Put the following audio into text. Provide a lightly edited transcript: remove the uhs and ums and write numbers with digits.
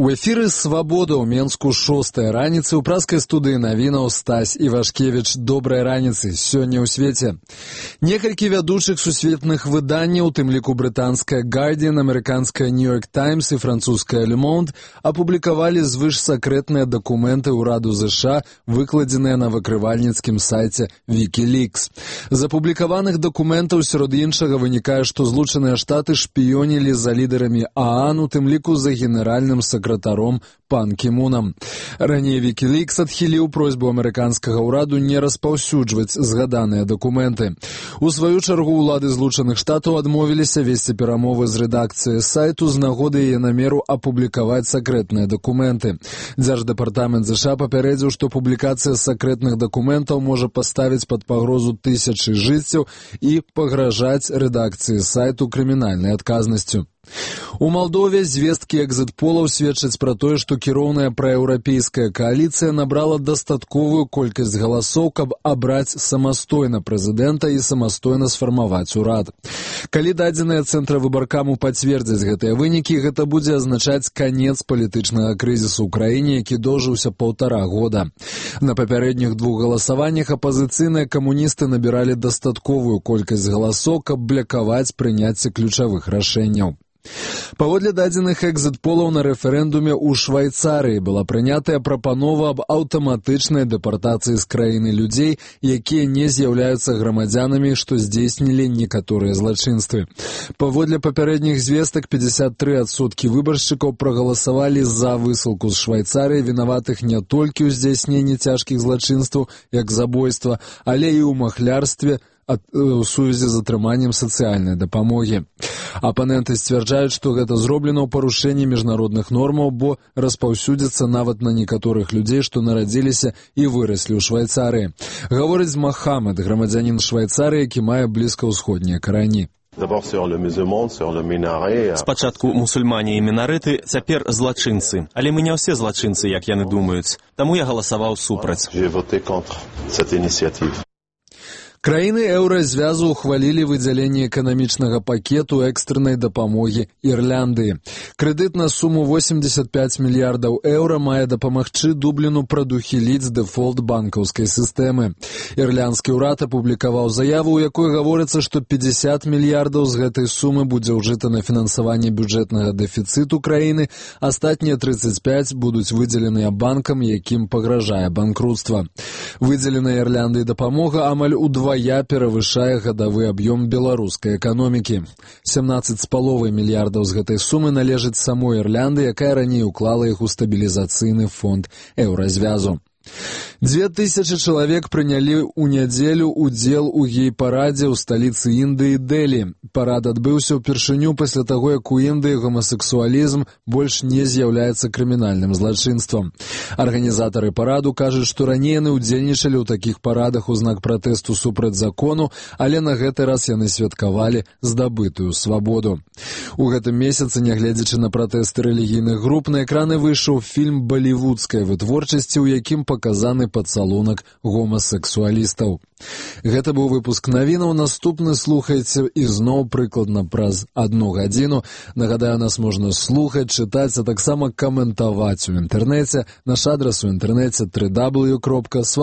У эфіры «Свабода» ў Менску 6-я раніцы. У праскай студыі навінаў Стась Івашкевіч. Добрай раніцы. Сёння ў свеце. Некалькі вядучых сусветных выданняў, у тым ліку брытанская «Guardian», амерыканская «New York Times» і французская «Le Monde» апублікавалі звышсакрэтныя дакументы ўраду ЗША, выкладзеныя на выкрывальніцкім сайце Wikileaks. З апублікаваных дакументаў сярод іншага вынікае, што Злучаныя Штаты шпіёнілі за лідарамі ААН, у тым ліку за генеральным сакратаром Пан Кі Мунам. Раней Wikileaks адхіліў просьбу амерыканскага ўраду не распаўсюджваць згаданыя дакументы. У сваю чаргу ўлады Злучаных Штатаў адмовіліся весці перамовы з рэдакцыяй сайту з нагоды яе намеру апублікаваць сакрэтныя дакументы. Дзярждэпартамент ЗША папярэдзіў, што публікацыя сакрэтных дакументаў можа паставіць пад пагрозу тысячы жыццяў і пагражаць рэдакцыі сайту крымінальнай адказнасцю. У Малдове звесткі экзіт-полаў сведчаць пра тое, што кіроўная праеўрапейская кааліцыя набрала дастатковую колькасць галасоў, каб абраць самастойна прэзідэнта і самастойна сфармаваць урад. Калі дадзеныя цэнтра выбаркаму пацвердзяць гэтыя вынікі, гэта будзе азначаць канец палітычнага крызісу ў краіне, які доўжыўся 1,5 года. На папярэдніх двух галасаваннях апазіцыйныя камуністы набіралі дастатковую колькасць галасоў, каб блакаваць прыняцце ключавых рашэнняў. Паводле дадзеных экзіт-полаў на рэферэндуме ў Швайцарыі была прынятая прапанова аб аўтаматычнай дэпартацыі з краіны людзей, якія не з'яўляюцца грамадзянамі, што здзейснілі некаторыя злачынствы. Паводле папярэдніх звестак 53% выбаршчыкаў прагаласавалі за высылку з Швайцарыі вінаватых не толькі ў здзяйсненні цяжкіх злачынстваў, як забойства, але і ў махлярстве, у сувязі з атрыманнем сацыяльнай дапамогі. Апаненты сцвярджаюць, што гэта зроблена ў парушэнні міжнародных нормаў, бо распаўсюдзіцца нават на некаторых людзей, што нарадзіліся і выраслі ў Швайцарыі. Гаворыць Махамед, грамадзянін Швайцарыі, які мае блізкаўсходнія карані. Спачатку мусульмане і мінарыты, цяпер злачынцы. Але мы не ўсе злачынцы, як яны думаюць. Таму я галасаваў супраць. Краіны еўразвязу ухвалілі выдзяленне эканамічнага пакету экстрэнай дапамогі Ірландыі. Крэдыт на суму 85 мільярдаў еўра мае дапамагчы Дубліну прадухіліць дэфолт банкаўскай сістэмы. Ірландскі ўрад апублікаваў заяву, у якой гаворыцца, што 50 мільярдаў з гэтай сумы будзе ўжыта на фінансаванне бюджэтнага дэфіцыту краіны, астатнія 35 будуць выдзеленыя банкам, якім пагражае банкрутства. Выдзеленая Ірландыі дапамога амаль удвая перавышае гадавы аб'ём беларускай эканомікі. 17,5 мільярдаў з гэтай сумы належыць самой Ірланды, якая раней уклала іх у стабілізацыйны фонд еўразвязу. 2000 чалавек прынялі ў нядзелю удзел у гей-парадзе ў сталіцы Індыі Дэлі. Парад адбыўся ўпершыню пасля таго, як у Індыі гомасексуалізм больш не з'яўляецца крымінальным злачынствам. Арганізатары параду кажуць, што раней яны ўдзельнічалі ў такіх парадах у знак пратэсту супраць закону, але на гэты раз яны святкавалі здабытую свабоду. У гэтым месяцы, нягледзячы на пратэсты рэлігійных груп, на экраны выйшаў фільм балівудскай вытворчасці, у якім паказаны пацалунак гомасексуалістаў. Гэта быў выпуск навінаў. Наступны слухайце ізноў прыкладна праз 1 гадзіну. Нагадаю, нас можна слухаць, чытаць, а таксама каментаваць у інтэрнэце. Наш адрас у інтэрнэце www.swabodka.org.